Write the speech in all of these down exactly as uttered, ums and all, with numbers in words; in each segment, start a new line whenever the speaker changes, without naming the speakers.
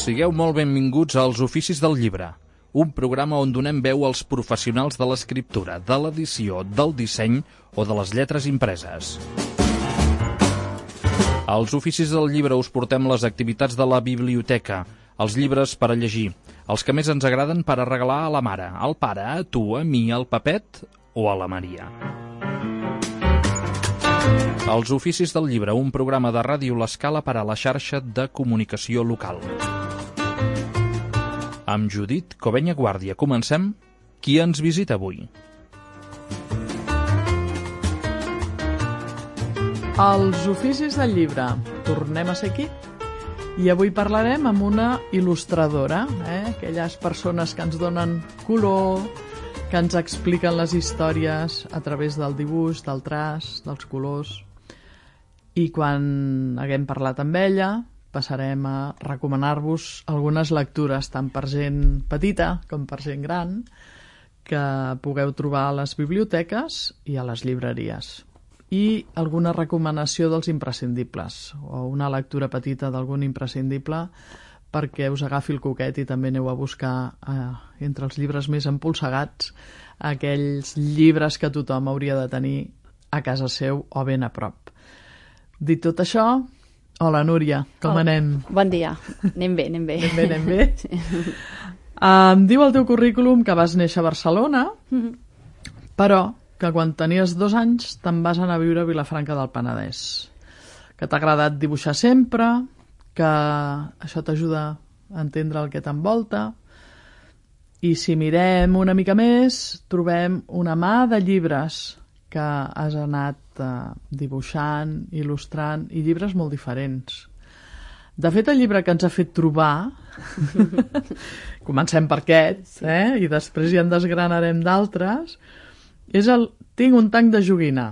Sigueu molt benvinguts als Oficis del Llibre, un programa on donem veu als professionals de l'escriptura, de l'edició, del disseny o de les lletres impreses. Als Oficis del Llibre us portem les activitats de la biblioteca, els llibres per a llegir, els que més ens agraden per a regalar a la mare, al pare, a tu, a mi, al Pepet o a la Maria. Els Oficis del Llibre, un programa de Ràdio L'Escala per a la xarxa de comunicació local. Amb Judit Covenya Guàrdia. Comencem. Qui ens visita avui?
Els Oficis del Llibre. Tornem a ser aquí. I avui parlarem amb una il·lustradora, eh? Aquelles persones que ens donen color, que ens expliquen les històries a través del dibuix, del traç, dels colors. I quan haguem parlat amb ella, passarem a recomanar-vos algunes lectures, tant per gent petita com per gent gran, que pugueu trobar a les biblioteques i a les llibreries. I alguna recomanació dels imprescindibles, o una lectura petita d'algun imprescindible perquè us agafi el coquet i també aneu a buscar eh, entre els llibres més empolsegats aquells llibres que tothom hauria de tenir a casa seu o ben a prop. Dit tot això, hola Núria, com
Hola.
anem?
Bon dia, anem bé, anem bé.
Anem bé, anem bé. Sí. Em diu el teu currículum que vas néixer a Barcelona, mm-hmm. però que quan tenies dos anys te'n vas anar a viure a Vilafranca del Penedès, que t'ha agradat dibuixar sempre, que això t'ajuda a entendre el que t'envolta, i si mirem una mica més trobem una mà de llibres que has anat eh, dibuixant, il·lustrant, i llibres molt diferents. De fet, el llibre que ens ha fet trobar, comencem per aquest, eh? I després ja en desgranarem d'altres, és el Tinc un tanc de joguina,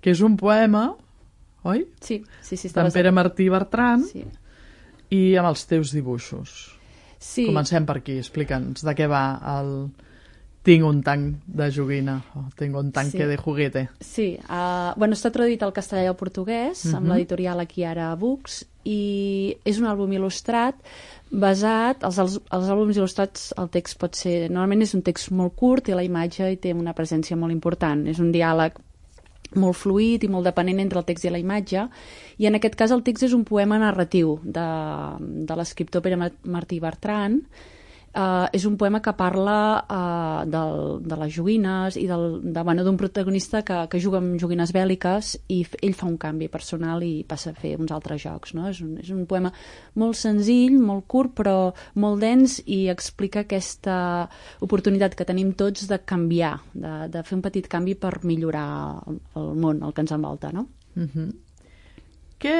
que és un poema, oi?
Sí, sí, sí.
D'en Pere Martí Bertran,
sí.
I amb els teus dibuixos.
Sí.
Comencem per aquí, explica'ns de què va el Tinc un tanc de joguina, o Tengo un tanque sí. de juguete.
Sí, uh, bueno, està traduït al castellà i al portuguès, uh-huh. amb l'editorial Akiara Books, i és un àlbum il·lustrat basat, els, els, els àlbums il·lustrats, el text pot ser, normalment és un text molt curt i la imatge hi té una presència molt important, és un diàleg molt fluid i molt dependent entre el text i la imatge, i en aquest cas el text és un poema narratiu de, de l'escriptor Pere Martí Bertran. Uh, és un poema que parla uh, del, de les joguines i del, de, bueno, d'un protagonista que, que juga amb joguines bèl·liques i f- ell fa un canvi personal i passa a fer uns altres jocs, no? És un, és un poema molt senzill, molt curt, però molt dens, i explica aquesta oportunitat que tenim tots de canviar, de, de fer un petit canvi per millorar el, el món, el que ens envolta, no?
Uh-huh. Què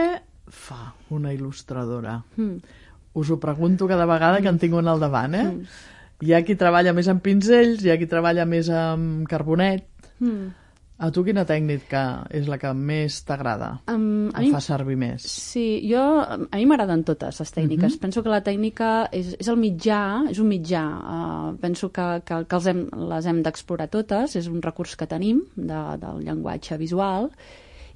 fa una il·lustradora?
Mm.
Us ho pregunto cada vegada que en tinc un al davant, eh? Mm. Hi ha qui treballa més amb pinzells, hi ha qui treballa més amb carbonet. Mm. A tu quina tècnica és la que més t'agrada? Um, a mi fa servir més?
Sí, jo, a mi m'agraden totes les tècniques. Mm-hmm. Penso que la tècnica és, és el mitjà, és un mitjà. Uh, penso que, que, que els hem, les hem d'explorar totes, és un recurs que tenim de, del llenguatge visual.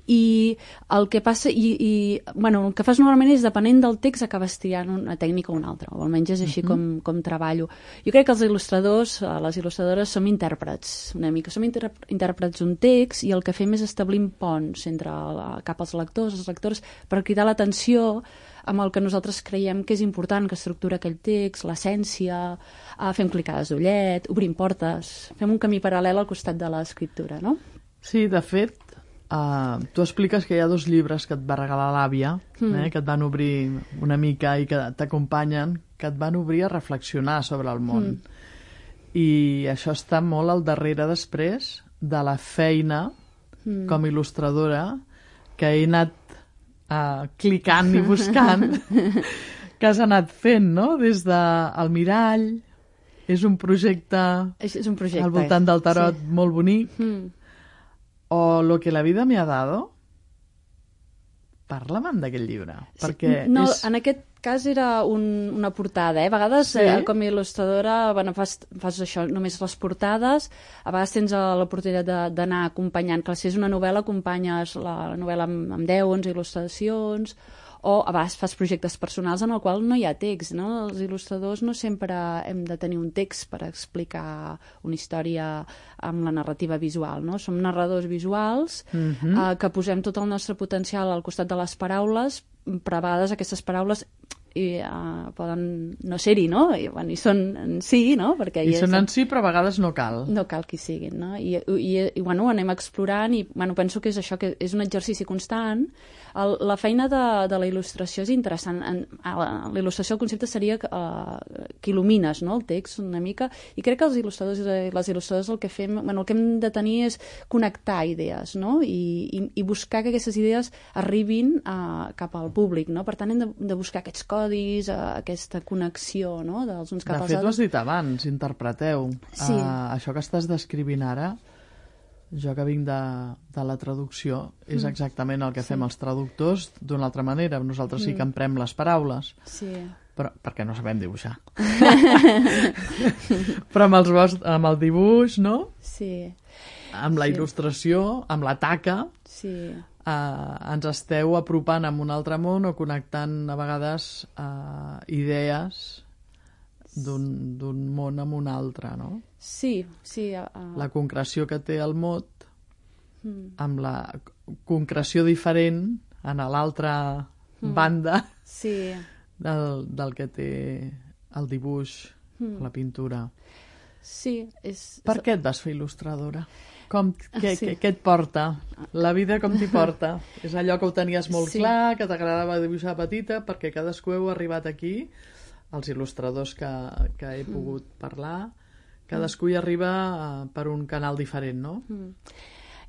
I el que passa, i, i bueno, el que fas normalment és, depenent del text, acabes triant una tècnica o una altra, o almenys és així uh-huh. com, com treballo. Jo crec que els il·lustradors, les il·lustradores, som intèrprets, una mica. Som inter- intèrprets d'un text, i el que fem és establir ponts entre la, cap als lectors, les lectores, per cridar l'atenció amb el que nosaltres creiem que és important, que estructura aquell text, l'essència, uh, fem clicades d'ullet, obrim portes, fem un camí paral·lel al costat de l'escriptura, no?
Sí, de fet, Uh, tu expliques que hi ha dos llibres que et va regalar l'àvia, mm. eh, que et van obrir una mica i que t'acompanyen, que et van obrir a reflexionar sobre el món. Mm. I això està molt al darrere després de la feina mm. com a il·lustradora que he anat uh, clicant i buscant que has anat fent, no? Des del mirall, és un projecte,
és, és un projecte
al voltant del tarot, sí. Molt bonic.
Mm.
O Lo que la vida me ha dado. Parla'm d'aquest llibre. Sí, perquè
no,
és...
en aquest cas era un, una portada, eh? A vegades, sí? eh, com a il·lustradora, bueno, fas, fas això, només les portades, a vegades tens l'oportunitat d'anar acompanyant, que si és una novel·la, acompanyes la, la novel·la amb, amb deu, onze il·lustracions, o a vegades fas projectes personals en el qual no hi ha text, no? Els il·lustradors no sempre hem de tenir un text per explicar una història amb la narrativa visual, no? Som narradors visuals
Mhm.
eh, que posem tot el nostre potencial al costat de les paraules, però a vegades aquestes paraules i, uh, poden no ser-hi, no? I, bueno, i són en si, no? Perquè
I
hi
són
és-
en si, però a vegades no cal.
no cal que hi siguin, no? I, i, i bueno, ho anem explorant i bueno, penso que és això, que és un exercici constant. El, la feina de, de la il·lustració és interessant. En, a la, la il·lustració, el concepte seria que, uh, que il·lumines, no?, el text una mica, i crec que els il·lustradors i les il·lustradores el que fem, bueno, el que hem de tenir és connectar idees, no?, I, i, i buscar que aquestes idees arribin uh, cap al públic, no? Per tant, hem de, de buscar aquests codis, uh, aquesta connexió, no?, dels uns cap
De
als
fet, ho has
altres.
dit abans, interpreteu.
Sí.
Uh, això que estàs descrivint ara, jo que vinc de, de la traducció, és exactament el que fem els traductors d'una altra manera. Nosaltres sí que emprem les paraules,
Sí.
però perquè no sabem dibuixar. Però amb, els vostres, amb el dibuix, no?
Sí,
Amb la
Sí.
il·lustració, amb la taca,
sí,
eh, ens esteu apropant amb un altre món o connectant a vegades eh, idees d'un d'un món amb un altre, no?
sí, sí. Uh,
La concreció que té el mot
mm,
amb la concreció diferent en l'altra banda
sí,
del, del que té el dibuix,
Mm.
la pintura.
sí. És,
Per què et vas fer il·lustradora? Com, què,
Sí.
què, què et porta? La vida com t'hi porta? És allò que ho tenies molt
Sí.
clar, que t'agradava dibuixar petita, perquè cadascú heu arribat aquí, els il·lustradors que, que he pogut parlar, cadascú hi arriba eh, per un canal diferent, no?
Mm.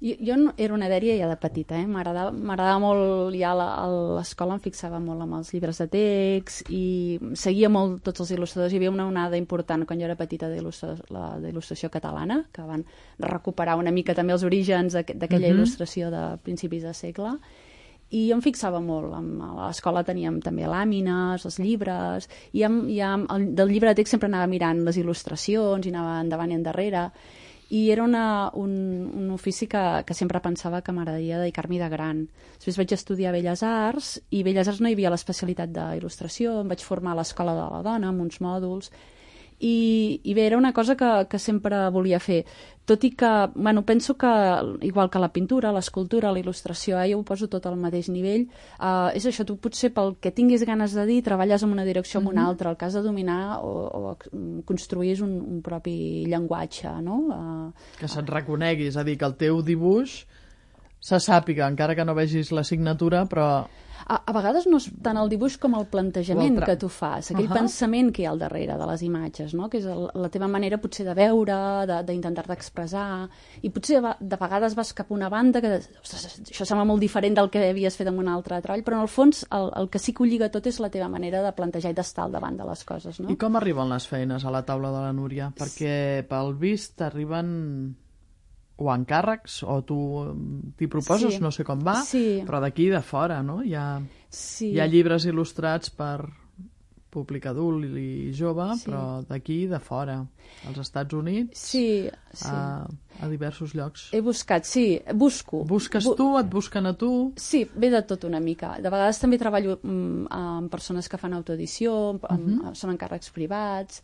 Jo, jo no, era una dèria ja de petita, eh? M'agradava m'agradava molt, ja a la- a l'escola em fixava molt amb els llibres de text i seguia molt tots els il·lustradors. Hi havia una onada important quan jo era petita d'il·lustra- la- d'il·lustració catalana, que van recuperar una mica també els orígens d'aqu- d'aquella
Mhm.
il·lustració de principis de segle. I jo em fixava molt. Amb- A l'escola teníem també làmines, els llibres, i amb, i amb, el, del llibre de text sempre anava mirant les il·lustracions i anava endavant i endarrere. I era una, un, un ofici que, que sempre pensava que m'agradaria dedicar-m'hi de gran. Després vaig estudiar Belles Arts, i Belles Arts no hi havia l'especialitat d'il·lustració, em vaig formar a l'Escola de la Dona amb uns mòduls, i, i bé, era una cosa que, que sempre volia fer, tot i que, bueno, penso que igual que la pintura, l'escultura, la il·lustració, eh, jo ho poso tot al mateix nivell, eh, és això, tu potser pel que tinguis ganes de dir treballes en una direcció o en una altra, el que has de dominar o, o construir és un, un propi llenguatge, no? Eh,
Que se't reconegui, és a dir, que el teu dibuix se sàpiga, encara que no vegis la signatura, però
A, a vegades no és tant el dibuix com el plantejament
O el tra-
que tu fas, aquell
Ahà.
pensament que hi ha al darrere de les imatges, no? Que és el, la teva manera potser de veure, de- d'intentar-te expressar, i potser de, de vegades vas cap a una banda que, ostres, això sembla molt diferent del que havies fet en un altre treball, però en el fons el, el que sí que ho lliga tot és la teva manera de plantejar i d'estar al davant de les coses, no?
I com arriben les feines a la taula de la Núria? Perquè pel vist t'arriben o encàrrecs o tu t'hi proposes,
Sí.
no sé com va,
Sí.
però d'aquí de fora, no? Hi ha,
Sí.
hi ha llibres il·lustrats per públic adult i jove,
Sí.
però d'aquí de fora, als Estats Units,
Sí, sí.
a, a diversos llocs.
He buscat, sí, busco.
Busques
Bu-
tu, et busquen a tu...
Sí, ve de tot una mica. De vegades també treballo mm, amb persones que fan autoedició, amb, amb, són encàrrecs privats,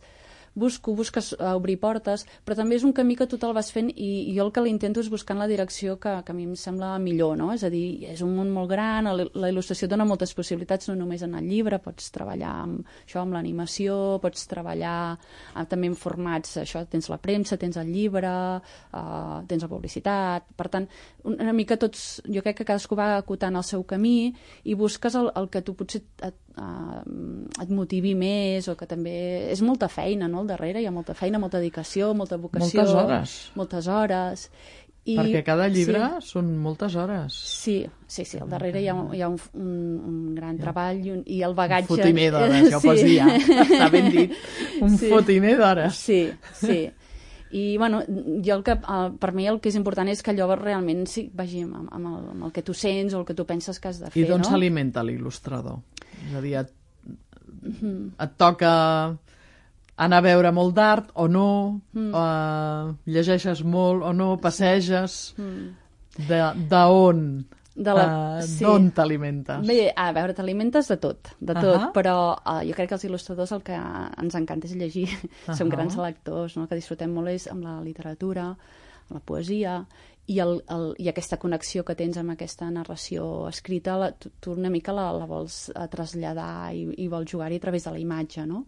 busco, busques uh, obrir portes, però també és un camí que tu te'l vas fent i, i jo el que l'intento és buscar en la direcció que, que a mi em sembla millor, no? És a dir, és un món molt gran, la, la il·lustració dona moltes possibilitats, no només en el llibre, pots treballar amb això, amb l'animació, pots treballar uh, també en formats, això, tens la premsa, tens el llibre, uh, tens la publicitat, per tant, una mica tots, jo crec que cadascú va acotant el seu camí i busques el, el que tu potser et, uh, et motivi més o que també... És molta feina, no?, al darrere, hi ha molta feina, molta dedicació, molta vocació...
Moltes hores.
Moltes hores. I,
Perquè cada llibre
Sí,
són moltes hores.
sí, sí, sí, al darrere hi ha, un- hi ha un, un, un gran treball i, un, i el bagatge...
Un fotiner d'hores, ja ho pots dir, ja. Està ben dit. Un
Sí.
fotiner d'hores.
Sí, sí. I, bueno, jo el que, uh, per mi el que és important és que allò realment sí, vagi amb, amb, el, amb el que tu sents o el que tu penses que has de fer,
I d'on
no?
s'alimenta l'il·lustrador? És a dir, et, et toca anar a veure molt d'art o no,
Mm.
uh, llegeixes molt o no, passeges,
Mm.
de, de on De la... uh, sí. D'on t'alimentes?
Bé, a veure, t'alimentes de tot, de tot, uh -huh. però uh, jo crec que els il·lustradors el que ens encanta és llegir. Uh -huh. Som grans lectors, no? Que disfrutem molt és amb la literatura, amb la poesia, i, el, el, i aquesta connexió que tens amb aquesta narració escrita, la, tu, tu una mica la, la vols traslladar i, i vols jugar-hi a través de la imatge, no?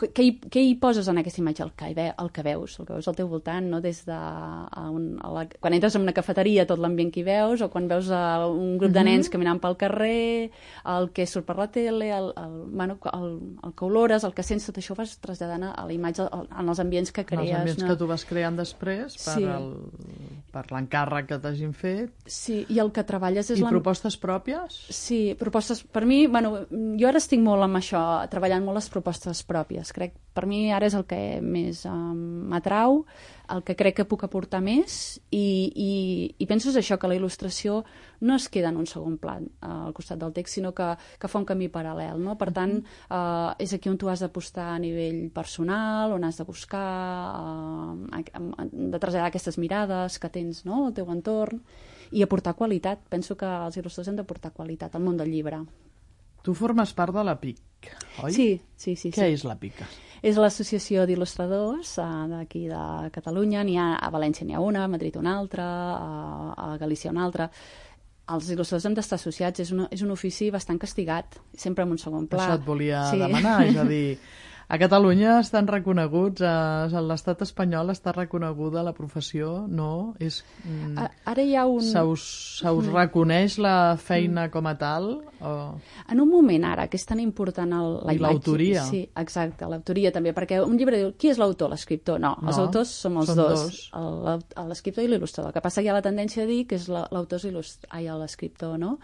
Què hi, què hi poses en aquesta imatge? El que, ve, el que veus, el que veus al teu voltant, no? Des de a un, a la, quan entres en una cafeteria, tot l'ambient que hi veus, o quan veus a un grup de nens caminant pel carrer, el que surt per la tele, el, el, bueno, el, el que olores, el que sents, tot això ho vas traslladant a la imatge, en els ambients que crees.
Els ambients
no?
que tu vas creant després per,
sí.
el, per l'encàrrec que t'hagin fet.
Sí, i el que treballes és...
I propostes pròpies?
Sí, propostes... Per mi, bueno, jo ara estic molt amb això, treballant molt les propostes pròpies. Crec, per mi ara és el que més um, m'atrau, el que crec que puc aportar més, i, i, i penso és això, que la il·lustració no es queda en un segon plan uh, al costat del text, sinó que, que fa un camí paral·lel, no? Per tant, uh, és aquí on tu has d'apostar a nivell personal, on has de buscar, uh, de traslladar aquestes mirades que tens, no?, al teu entorn, i aportar qualitat. Penso que els il·lustradors han d'aportar qualitat al món del llibre.
Tu formes part de la P I C, oi?
Sí, sí, sí.
Què
sí.
és la P I C?
És l'Associació d'Il·lustradors uh, d'aquí de Catalunya. N'hi ha, a València n'hi ha una, a Madrid una altra, a, a Galícia una altra. Els il·lustradors hem d'estar associats. És un, és un ofici bastant castigat, sempre en un segon pla.
Això et volia
sí.
demanar, és a dir... A Catalunya estan reconeguts, a l'estat espanyol està reconeguda la professió, no? És, mm,
Ara hi ha un...
Se us, se us mm. reconeix la feina mm. com a tal? O...
En un moment ara, que és tan important el, la
I l'autoria.
Sí, exacte, l'autoria també, perquè un llibre diu, qui és l'autor, l'escriptor? No, els no, autors som els dos, dos. l'escriptor i l'il·lustrador. El que passa que hi ha la tendència a dir que és l'autor i l'escriptor, no?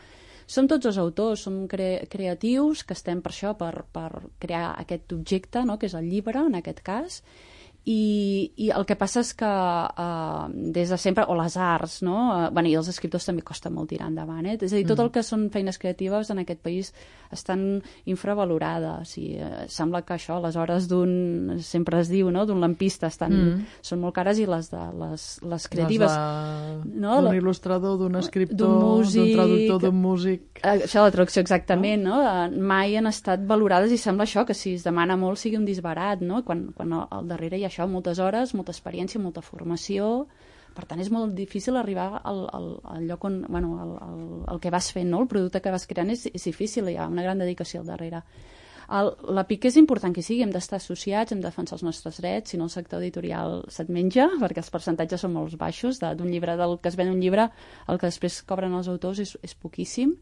Som tots els autors, som cre creatius que estem per això, per, per crear aquest objecte, no?, que és el llibre, en aquest cas, i, i el que passa és que uh, des de sempre, o les arts, no?, uh, bueno, i els escriptors també costa molt tirar endavant, eh? És a dir, tot el que són feines creatives en aquest país estan infravalorades, i uh, sembla que això, les hores d'un, sempre es diu, no?, d'un lampista estan, mm. són molt cares, i les de les, les creatives...
Les de... no? D'un il·lustrador, d'un escriptor, d'un traductor, d'un músic...
Això, la traducció, exactament, no? no? Mai han estat valorades, i sembla això, que si es demana molt sigui un disbarat, no?, quan, quan al darrere hi ha això, moltes hores, molta experiència, molta formació. Per tant, és molt difícil arribar al, al, al lloc on, bueno, al, al, al que vas fent, no? El producte que vas creant és, és difícil, hi ha una gran dedicació al darrere. El, la P I C és important que sigui, hem d'estar associats, hem de defensar els nostres drets, si no el sector editorial se't menja, perquè els percentatges són molt baixos, d'un llibre, del que es ven un llibre, el que després cobren els autors és, és poquíssim.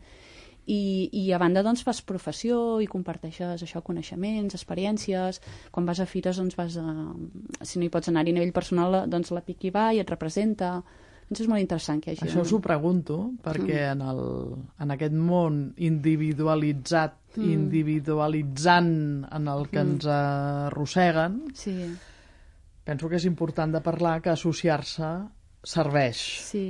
I, i a banda doncs fas professió i comparteixes això, coneixements, experiències. Quan vas a fires doncs vas a... si no hi pots anar-hi a nivell personal, doncs la P I C hi va i et representa. Doncs és molt interessant que hi hagi...
Això us ho pregunto, perquè mm. en, el, en aquest món individualitzat, mm. individualitzant en el que mm. ens arrosseguen,
sí.
penso que és important de parlar que associar-se serveix.
Sí.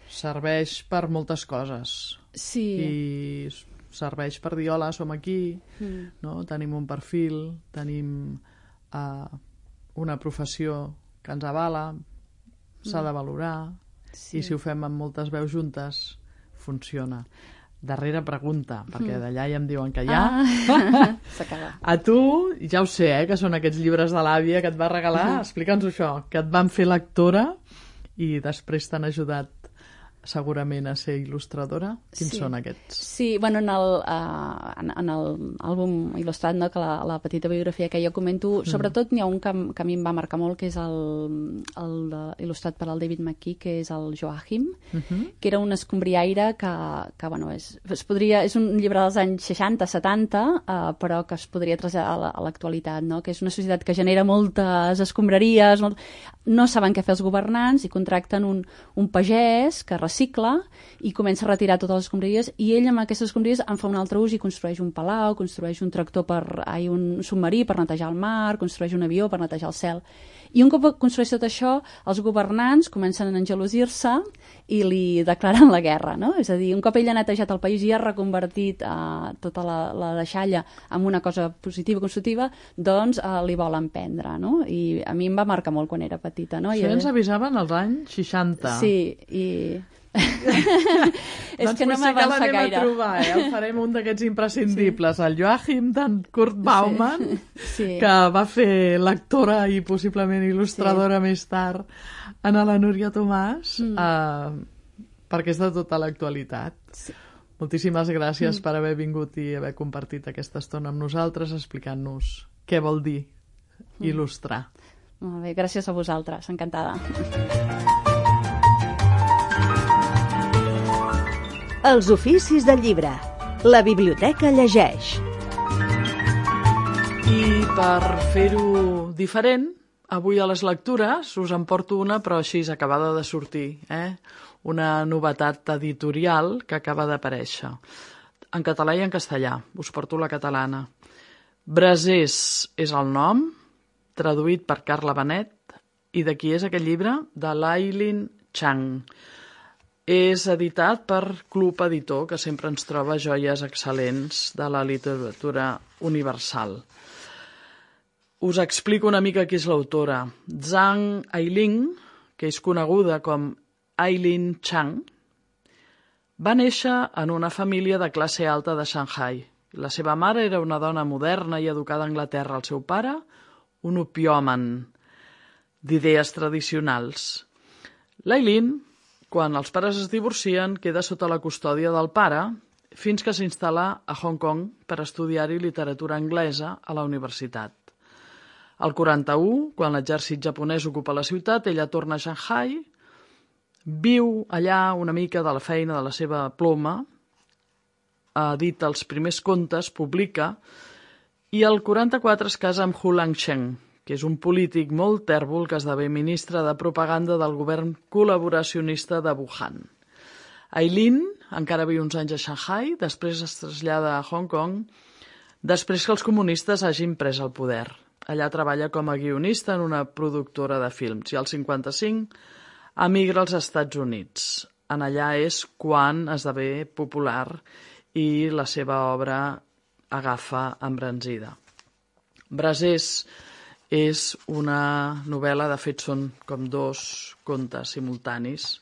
Serveix per moltes coses.
Sí.
I serveix per dir, hola, som aquí, mm. no? Tenim un perfil, tenim uh, una professió que ens avala, s'ha mm. de valorar, sí. I si ho fem amb moltes veus juntes, funciona. Darrera pregunta, perquè d'allà ja em diuen que ja.
Ah. S'acaba.
A tu, ja ho sé, eh, que són aquests llibres de l'àvia que et va regalar, uh -huh. explica'ns això, que et van fer lectora i després t'han ajudat segurament a ser il·lustradora. Quins
sí.
són aquests?
Sí, bueno, en el, uh, en, en el àlbum il·lustrat, no, que la, la petita biografia que jo comento, mm. sobretot n'hi ha un que, que a mi em va marcar molt, que és el, el de, il·lustrat per al David McKee, que és el Joachim, mm -hmm. que era un escombriaire que, que bueno, és, es podria, és un llibre dels anys seixanta setanta, uh, però que es podria traslladar a l'actualitat, no? Que és una societat que genera moltes escombraries, molt... no saben què fer els governants i contracten un, un pagès que recicla i comença a retirar totes les escombraries, i ell amb aquestes escombraries en fa un altre ús i construeix un palau, construeix un tractor per, ai, un submarí per netejar el mar, construeix un avió per netejar el cel. I un cop construeix tot això, els governants comencen a engelosir-se i li declaren la guerra, no? És a dir, un cop ell ha netejat el país i ha reconvertit eh, tota la, la deixalla en una cosa positiva, constructiva, doncs eh, li volen prendre, no? I a mi em va marcar molt quan era petita, no?
Això I ens avisaven als anys seixanta.
Sí, i... És
doncs
que no
potser que
m'avança
l'anem
gaire.
a trobar, eh? El farem un d'aquests imprescindibles, sí. El Joachim d'en Kurt Baumann,
Sí.
que va fer lectora i possiblement il·lustradora sí. més tard en la Núria Tomàs, mm. eh, perquè és de tota l'actualitat. Sí. Moltíssimes gràcies mm. per haver vingut i haver compartit aquesta estona amb nosaltres explicant-nos què vol dir mm. il·lustrar.
Molt bé, gràcies a vosaltres, encantada.
Els oficis del llibre. La biblioteca llegeix.
I per fer-ho diferent, avui a les lectures us en porto una, però així acabada de sortir, eh? Una novetat editorial que acaba d'aparèixer. En català i en castellà. Us porto la catalana. Brasers és el nom, traduït per Carla Benet, i de qui és aquest llibre? De l'Aileen Chang. És editat per Club Editor, que sempre ens troba joies excel·lents de la literatura universal. Us explico una mica qui és l'autora. Zhang Ailing, que és coneguda com Aileen Chang, va néixer en una família de classe alta de Shanghai. La seva mare era una dona moderna i educada a Anglaterra. El seu pare, un opiòman d'idees tradicionals. L'Aileen, quan els pares es divorcien, queda sota la custòdia del pare fins que s'instal·la a Hong Kong per estudiar-hi literatura anglesa a la universitat. Al quaranta-u, quan l'exèrcit japonès ocupa la ciutat, ella torna a Shanghai, viu allà una mica de la feina de la seva ploma, edita els primers contes, publica, i al quaranta-quatre es casa amb Hu Langsheng, que és un polític molt tèrbol que esdevé ministre de propaganda del govern col·laboracionista de Wuhan. Aileen encara viu uns anys a Shanghai, després es trasllada a Hong Kong, després que els comunistes hagin pres el poder. Allà treballa com a guionista en una productora de films i al cinquanta-cinc emigra als Estats Units. En allà és quan esdevé popular i la seva obra agafa embranzida. Brasers és una novel·la, de fet són com dos contes simultanis,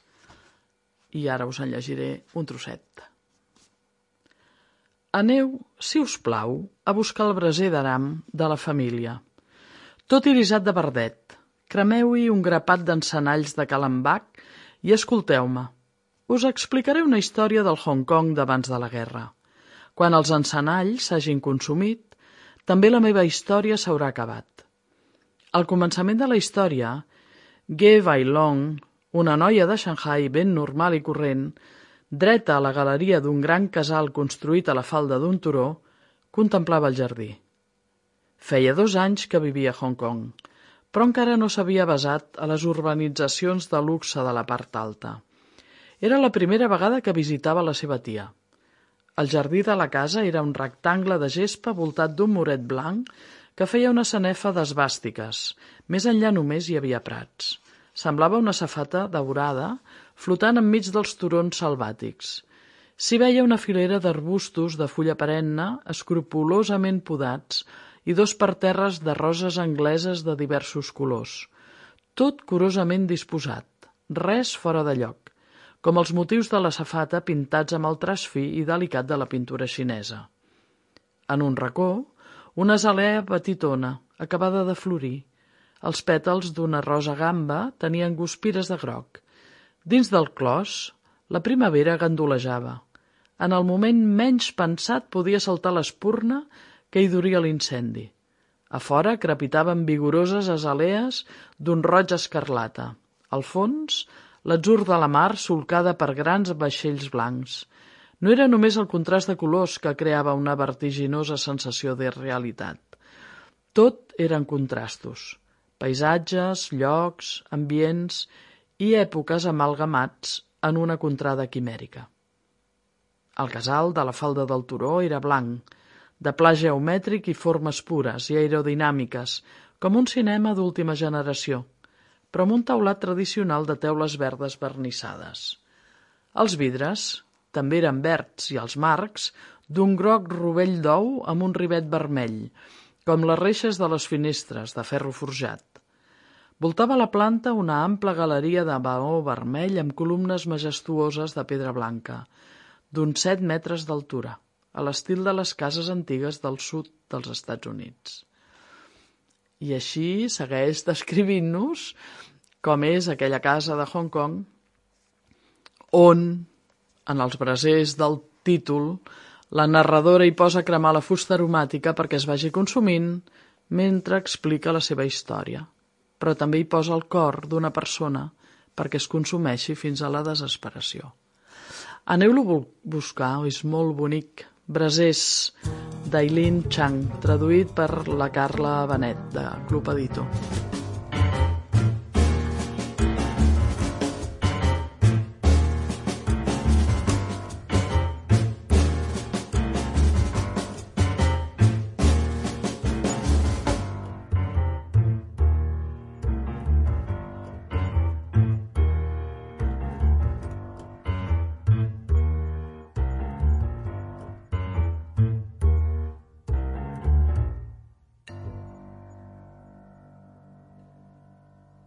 i ara us en llegiré un trosset. Aneu, si us plau, a buscar el braser d'aram de la família. Tot irisat de verdet, cremeu-hi un grapat d'encenalls de calambac i escolteu-me. Us explicaré una història del Hong Kong d'abans de la guerra. Quan els encenalls s'hagin consumit, també la meva història s'haurà acabat. Al començament de la història, Ge Bailong, una noia de Shanghai ben normal i corrent, dreta a la galeria d'un gran casal construït a la falda d'un turó, contemplava el jardí. Feia dos anys que vivia a Hong Kong, però encara no s'havia basat a les urbanitzacions de luxe de la part alta. Era la primera vegada que visitava la seva tia. El jardí de la casa era un rectangle de gespa voltat d'un muret blanc que feia una sanefa d'esbàstiques. Més enllà només hi havia prats. Semblava una safata daurada flotant enmig dels turons selvàtics. S'hi veia una filera d'arbustos de fulla perenne escrupolosament podats i dos parterres de roses angleses de diversos colors. Tot curosament disposat, res fora de lloc, com els motius de la safata pintats amb el traç fi i delicat de la pintura xinesa. En un racó, una azalea petitona, acabada de florir. Els pètals d'una rosa gamba tenien guspires de groc. Dins del clos, la primavera gandolejava. En el moment menys pensat podia saltar l'espurna que hi duria l'incendi. A fora crepitaven vigoroses azalees d'un roig escarlata. Al fons, l'atzur de la mar solcada per grans vaixells blancs. No era només el contrast de colors que creava una vertiginosa sensació de realitat. Tot eren contrastos, paisatges, llocs, ambients i èpoques amalgamats en una contrada quimèrica. El casal de la falda del turó era blanc, de pla geomètric i formes pures i aerodinàmiques, com un cinema d'última generació, però amb un teulat tradicional de teules verdes vernissades. Els vidres també eren verds i els marcs d'un groc rovell d'ou amb un rivet vermell, com les reixes de les finestres de ferro forjat. Voltava la planta una ampla galeria de maó vermell amb columnes majestuoses de pedra blanca, d'uns set metres d'altura, a l'estil de les cases antigues del sud dels Estats Units. I així segueix descrivint-nos com és aquella casa de Hong Kong on, en els brasers del títol, la narradora hi posa a cremar la fusta aromàtica perquè es vagi consumint mentre explica la seva història, però també hi posa el cor d'una persona perquè es consumeixi fins a la desesperació. Aneu-lo a buscar, és molt bonic. Brasers d'Aileen Chang, traduït per la Carla Benet, de Club Editor.